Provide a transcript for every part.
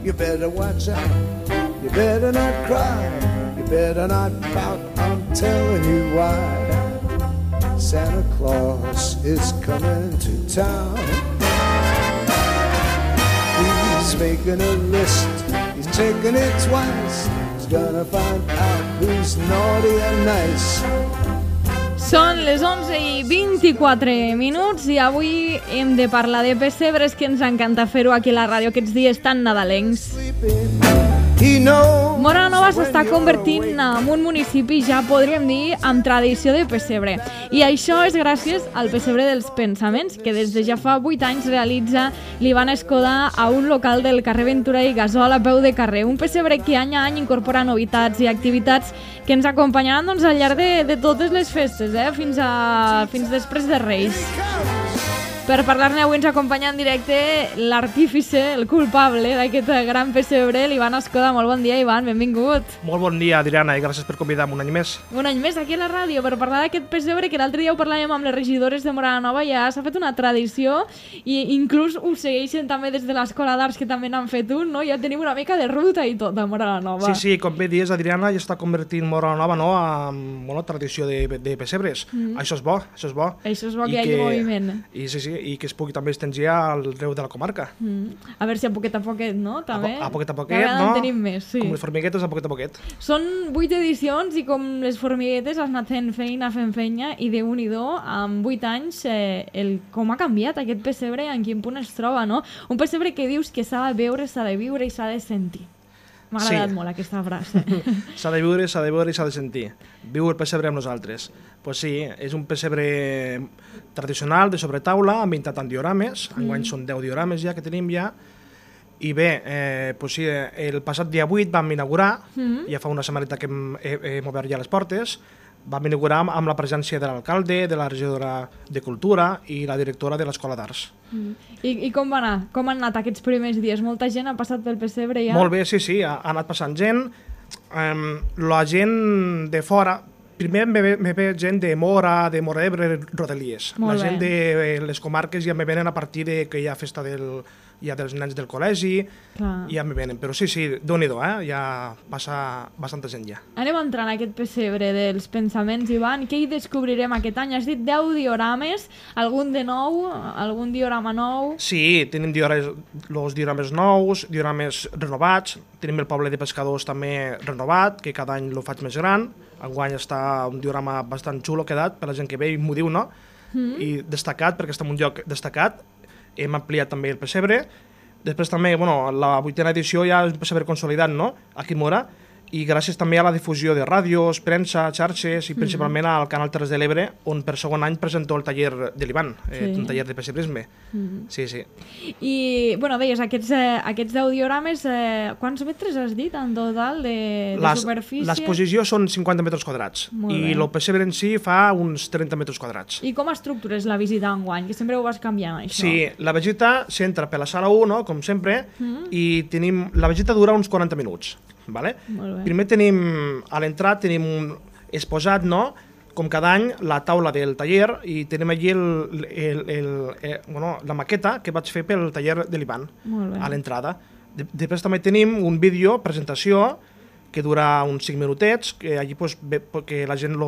You better watch out, you better not cry, you better not pout, I'm telling you why. Santa Claus is coming to town. He's making a list, he's taking it twice. He's gonna find out who's naughty and nice. Són les 11:24 i avui hem de parlar de pessebres, que ens encanta fer-ho aquí a la ràdio aquests dies tan nadalencs. Móra la Nova s'està convertint en un municipi, ja podríem dir, amb tradició de pessebre. I això és gràcies al Pessebre dels Pensaments, que des de ja fa 8 anys realitza l'Ivan Escoda a un local del carrer Ventura i Gasol a peu de carrer. Un pessebre que any a any incorpora novetats i activitats que ens acompanyaran doncs, al llarg de totes les festes, fins després de Reis. Per parlar-ne avui ens acompanya en directe l'artífice, el culpable d'aquest gran pessebre, l'Ivan Escoda. Molt bon dia, Ivan, benvingut. Molt bon dia, Adriana, i gràcies per convidar-me un any més. Un any més aquí a la ràdio per parlar d'aquest pessebre, que l'altre dia ho parlàvem amb les regidores de Móra la Nova, ja s'ha fet una tradició i inclús ho segueixen també des de l'Escola d'Arts, que també n'han fet un, no? Ja tenim una mica de ruta i tot a Móra la Nova. Sí, com bé dius, Adriana, ja està convertint Móra la Nova, no, en tradició de pessebres. Això és bo, això és bo. Això és bo, que hi hagi moviment. I que es pugui també estengir arreu de la comarca. A veure si a poquet, no? També. A poquet, no? Tenim més, sí. Com les formiguetes, a poquet. Són 8 edicions i com les formiguetes has anat fent feina i Déu-n'hi-do, amb 8 anys, com ha canviat aquest pessebre, en quin punt es troba, no? Un pessebre que dius que s'ha de veure, s'ha de viure i s'ha de sentir. M'ha agradat molt aquesta frase. S'ha de viure i s'ha de sentir. Viu el pessebre amb nosaltres. Pues sí, és un pessebre tradicional de sobretaula, ambientat en diorames. Enguany són 10 diorames ja que tenim ja. I bé, pues sí, el passat dia 8 vam inaugurar, ja fa una setmaneta que hem obert ja les portes. Vam inaugurar amb la presència de l'alcalde, de la regidora de Cultura i la directora de l'Escola d'Arts. I com va anar? Com han anat aquests primers dies? Molta gent ha passat pel pessebre ja? Molt bé, sí, ha anat passant gent. La gent de fora, primer me ve gent de Móra d'Ebre, Rodalies. La gent de les comarques ja me venen a partir de que hi ha festa dels nens del col·legi, ja me venen. Però sí, Déu-n'hi-do, ja passa bastanta gent ja. Anem a entrar en aquest pessebre dels pensaments, Ivan. Què hi descobrirem aquest any? Has dit 10 diorames, algun de nou, algun diorama nou? Sí, tenim els diorames nous, diorames renovats, tenim el poble de pescadors també renovat, que cada any lo faig més gran. Enguany està un diorama bastant xulo quedat, per la gent que ve i m'ho diu, no? I destacat, perquè està en un lloc destacat. Hem ampliat també el pessebre. Després també, la 8a edició ja és un pessebre consolidat, no?, aquí a Móra, i gràcies també a la difusió de ràdios, premsa, xarxes i principalment al Canal Terres de l'Ebre, on per segon any presento el taller de l'Ivan, un taller de pessebrisme. Sí. I, deies, aquests 10 diorames, quants metres has dit en total de superfície? L'exposició són 50 metres quadrats i el pessebre en si fa uns 30 metres quadrats. I com estructures la visita enguany? Que sempre ho vas canviant, això. Sí, la visita s'entra per la sala 1, no?, com sempre, i la visita dura uns 40 minuts. Vale? Primer a l'entrada tenim exposat, no?, com cada any, la taula del taller, i tenim allí la maqueta que vaig fer pel taller de l'Ivan a l'entrada. Després també tenim un vídeo, presentació, que dura uns 5 minutets, que allí que la gent,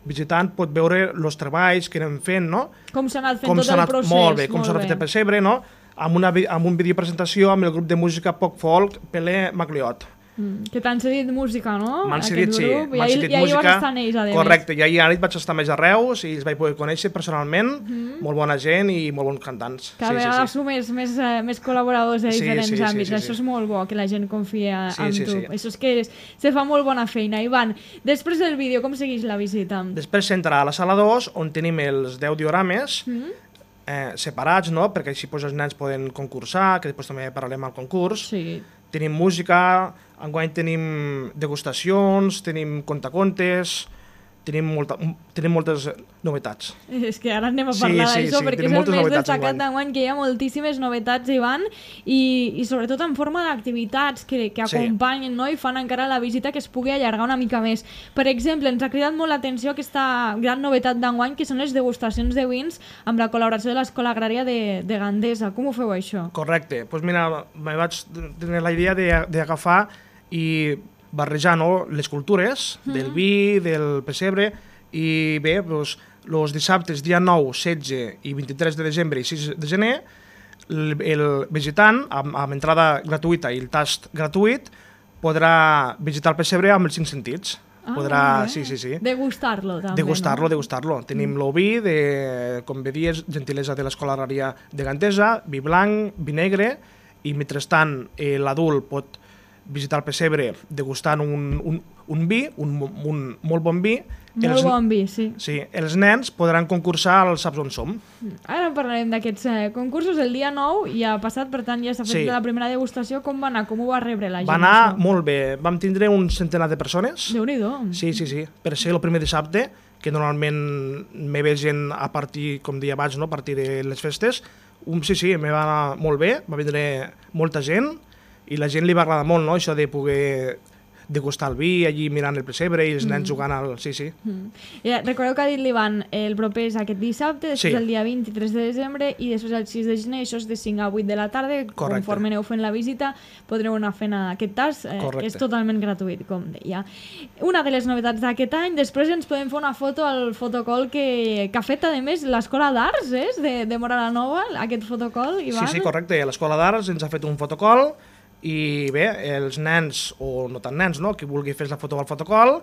visitant, pot veure els treballs que anem fent, no? Com s'ha anat fent tot el procés. Molt bé, com s'ha anat fet el pessebre, no?, amb un vídeo presentació amb el grup de música Poc Folk, Pelé Magliot. Que t'han cedit música, no? M'han cedit, sí. I ahir vas estar en ells, a més. Correcte, i ahir vaig estar més a Reus i els vaig poder conèixer personalment, molt bona gent i molt bons cantants. Cada vegada sumés més col·laboradors de diferents àmbits. Això és molt bo, que la gent confia en tu. Això és que se fa molt bona feina. Ivan, després del vídeo, com segueix la visita? Després s'entra a la sala 2, on tenim els 10 diorames, separats, no?, perquè així els nens poden concursar, que després també parlarem al concurs. Tenim música, enguany tenim degustacions, tenim contacontes, tenim moltes novetats. És que ara anem a parlar d'això, perquè és el més destacat d'enguany, que hi ha moltíssimes novetats, Ivan, i sobretot en forma d'activitats que acompanyen, no? I fan encara la visita que es pugui allargar una mica més. Per exemple, ens ha cridat molt l'atenció aquesta gran novetat d'enguany, que són les degustacions de vins amb la col·laboració de l'Escola Agrària de Gandesa. Com ho feu, això? Correcte. Doncs mira, me vaig tenir la idea d'agafar i barrejar, no, les cultures del vi, del pessebre, i bé, doncs, els dissabtes, dia 9, 16 i 23 de desembre i 6 de gener, el visitant, amb entrada gratuïta i el tast gratuït, podrà visitar el pessebre amb els 5 sentits. Podrà, sí. Degustar-lo, també. Degustar-lo. Tenim el vi, com bé dies, gentilesa de l'Escola Agrària de Gandesa, vi blanc, vi negre, i mentrestant l'adult pot visitar el pessebre degustant un vi, un molt bon vi. Molt bon vi, sí. Sí, els nens podran concursar al Saps on som. Ara parlarem d'aquests concursos. El dia 9 ja ha passat, per tant ja s'ha fet la primera degustació. Com va anar? Com ho va rebre la gent? Va anar molt bé. Vam tindre un centenar de persones. Déu-n'hi-do. Sí. Per ser el primer dissabte, que normalment me ve gent a partir, com deia abans, no? A partir de les festes. Sí, me va anar molt bé. Va vindre molta gent. I la gent li va agradar molt, no?, això de poder degustar el vi allí mirant el pessebre i els nens jugant al... Sí. Recordeu que ha dit l'Ivan, el proper és aquest dissabte, després el dia 23 de desembre i després el 6 de gener, això és de 5 a 8 de la tarda. Correcte. Conforme aneu fent la visita podreu anar fent aquest tast. És totalment gratuït, com deia. Una de les novetats d'aquest any, després ens podem fer una foto al fotocol que ha fet, a més, l'Escola d'Arts, de Móra la Nova, aquest fotocol, Ivan. Sí, correcte. L'Escola d'Arts ens ha fet un fotocol. I bé, els nens, o no tan nens, no?, qui vulgui fer la foto al fotocol,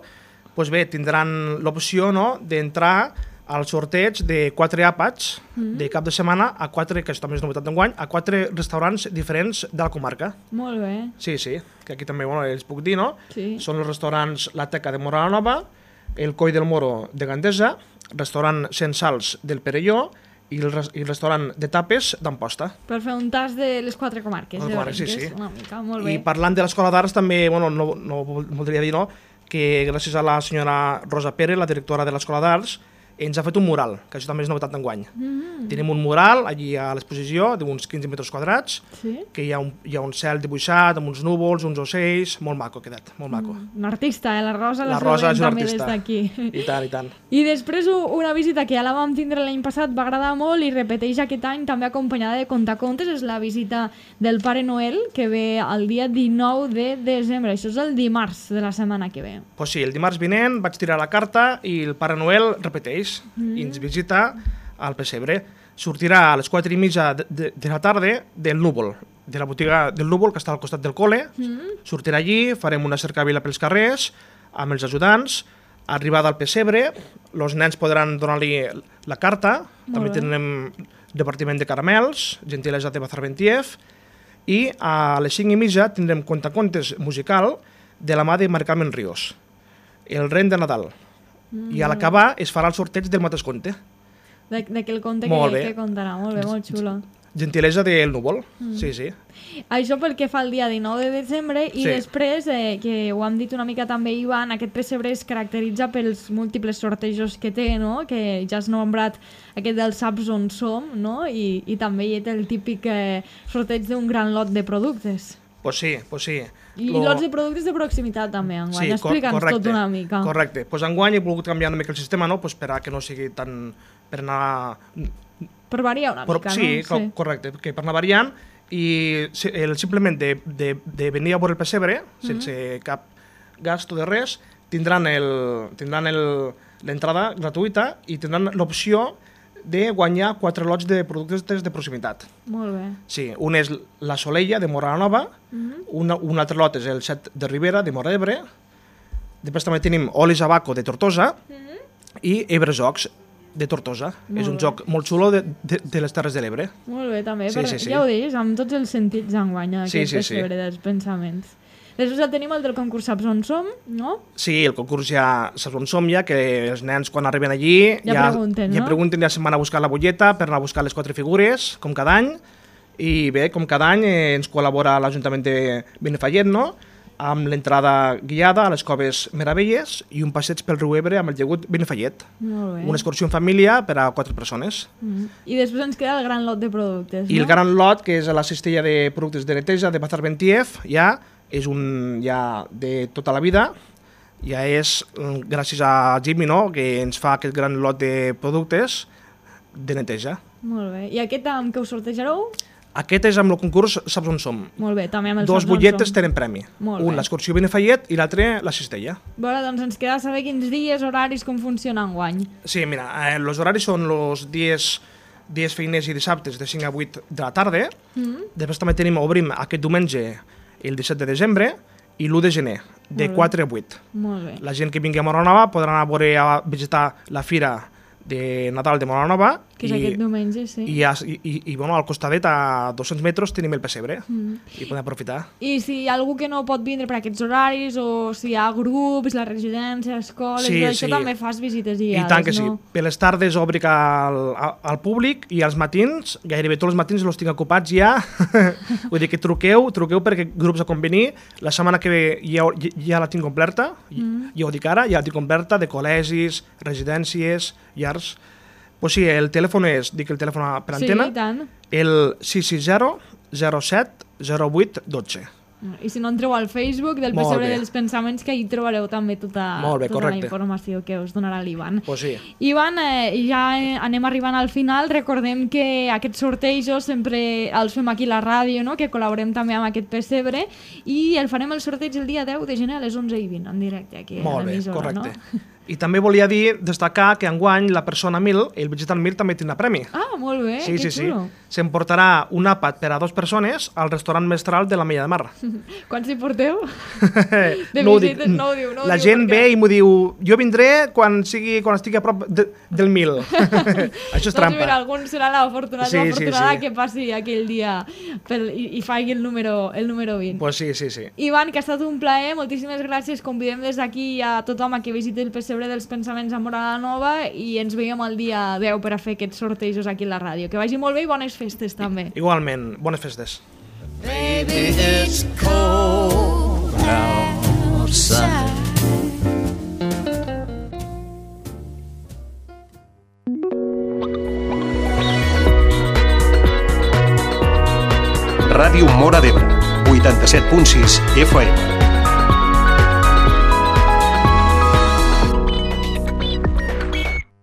doncs bé, tindran l'opció, no?, d'entrar al sorteig de 4 àpats de cap de setmana a 4, que és també és novetat d'enguany, a 4 restaurants diferents de la comarca. Molt bé. Sí, que aquí també els puc dir, no? Sí. Són els restaurants La Teca de Móra la Nova, el Coll del Moro de Gandesa, restaurant Sensals del Perelló, i el restaurant de tapes d'Amposta. Per fer un tas de les 4 comarques. Sí. Una mica, molt bé. I parlant de l'Escola d'Arts també, no voldria dir, no?, que gràcies a la senyora Rosa Pérez, la directora de l'Escola d'Arts, ens ha fet un mural, que això també és novetat d'enguany. Tenim un mural allí a l'exposició d'uns 15 metres quadrats, que hi ha un cel dibuixat amb uns núvols, uns ocells, molt maco ha quedat, molt maco. Un artista, la Rosa la Rosa és una també artista. des d'aquí. I tant. I després una visita que ja la vam tindre l'any passat, va agradar molt i repeteix aquest any també acompanyada de contacontes, és la visita del Pare Noel, que ve el dia 19 de desembre, això és el dimarts de la setmana que ve. Pues sí, el dimarts vinent vaig tirar la carta i el Pare Noel repeteix i ens visita al pessebre. Sortirà a les 4:30 de la tarda del Núvol, de la botiga del Núvol, que està al costat del col·le. Sortirà allí, farem una cercavila pels carrers amb els ajudants, arribada al pessebre, els nens podran donar-li la carta, també tindrem repartiment de caramels, gentilesa de Bazarbentiev, i a les 5:30 tindrem contacontes musical de la mà de Mari Carmen Ríos, el ren de Nadal. I a l'acabar es farà el sorteig del mateix conte. D'aquell conte que contarà, molt bé, molt xulo. Gentilesa del Núvol, sí. Això pel que fa al dia 19 de desembre i després, que ho hem dit una mica també, Ivan, aquest pessebre es caracteritza pels múltiples sortejos que té, no?, que ja has nombrat aquest del Saps on som, no?, i també hi ha el típic sorteig d'un gran lot de productes. Pues sí. I lots de productes de proximitat també, enguany. Sí, explica'ns tot una mica. Correcte. Pues enguany he volgut canviar una mica el sistema, no?, pues per a que no sigui tan... per anar... Per variar una mica, sí, no? Sí, correcte, que per anar variant i simplement de venir a veure el pessebre, sense cap gasto de res, tindran l'entrada gratuïta i tindran l'opció de guanyar 4 lots de productes de proximitat. Molt bé. Sí, un és la Soleia, de Móra la Nova, un altre lot és el Set de Ribera, de Móra d'Ebre, després també tenim Olis Abaco, de Tortosa, i Ebrejocs, de Tortosa. És un joc molt xulo de les Terres de l'Ebre. Molt bé, també. Ja ho deies, amb tots els sentits enguany, aquest pessebre dels pensaments. Després ja tenim el del concurs Saps on som, no? Sí, el concurs ja Saps on som, ja que els nens quan arriben allí ja pregunten, ja se'n van a buscar la butlleta per anar a buscar les 4 figures, com cada any, i bé, com cada any ens col·labora l'Ajuntament de Benifallet, no?, amb l'entrada guiada a les Coves Meravelles i un passeig pel riu Ebre amb el llagut Benifallet. Molt bé. Una excursió en família per a 4 persones. I després ens queda el gran lot de productes, no? I el gran lot, que és la cistella de productes de neteja de Bazar Bentiev, ja és ja de tota la vida, ja és gràcies a Jimmy, no?, que ens fa aquest gran lot de productes de neteja. Molt bé. I aquest amb què us sortejareu? Aquest és amb el concurs Saps on som. Molt bé, també amb el Dos Saps on butlletes som. tenen premi. Molt Un bé. l'excursió Benifallet i l'altre la cistella. Bueno, doncs ens queda saber quins dies, horaris, com funciona enguany. Sí, mira, els horaris són els dies feiners i dissabtes de 5 a 8 de la tarda. Després també obrim aquest diumenge el 17 de desembre i l'1 de gener, de 4 a 8. Molt bé. La gent que vingui a Móra Nova podrà anar a visitar la fira de Nadal de Móra Nova. Que és aquest diumenge, sí. I bueno, al costadet, a 200 metres, tenim el pessebre i podem aprofitar. I si hi ha algú que no pot vindre per aquests horaris, o si hi ha grups, la residència, escoles, Sí, això sí. també fas visites guiades, I tant que sí. no? Per les tardes obric al públic i als matins, gairebé tots els matins els tinc ocupats ja. Vull dir que truqueu perquè grups a convenir. La setmana que ve ja la tinc completa, ja ho dic ara, ja la tinc completa, de col·legis, residències, llars. Pues sí, el telèfon és, dic el telèfon per antena, Sí, i tant. el 660 07 08 12. I si no entreu al Facebook del Molt Pessebre bé. dels Pensaments, que hi trobareu també tota Molt bé, la correcte. informació que us donarà l'Ivan. Pues sí. Ivan, ja anem arribant al final. Recordem que aquests sortejos sempre els fem aquí a la ràdio, no? Que col·laborem també amb aquest pessebre, i el farem el sorteig el dia 10 de gener a les 11:20 en directe aquí a Molt bé, l'emissora, correcte. no? I també volia destacar que enguany la persona 1000, el visitant 1000, també tindrà premi. Ah, molt bé, Sí, que sí, sí. xulo. S'emportarà un àpat per a 2 persones al restaurant mestral de la Mella de Mar. Quants hi porteu? De No ho visites, dic. no ho diu, no ho La diu, gent perquè- ve i m'ho diu, jo vindré quan estigui a prop del 1000. Això és Doncs mira, trampa. algun serà l'afortunat Sí, o sí, l'afortunada sí. que passi aquell dia i faci el número 20. Pues sí, sí, sí. Ivan, que ha estat un plaer, moltíssimes gràcies. Convidem des d'aquí a tothom a que visiti el Pessebre dels Pensaments a Móra Nova i ens veiem el dia 10 per a fer aquests sortejos aquí a la ràdio. Que vagi molt bé i bones festes també. Igualment, bones festes. Baby, it's cold outside. Ràdio Móra d'Ebre, 87.6 FM.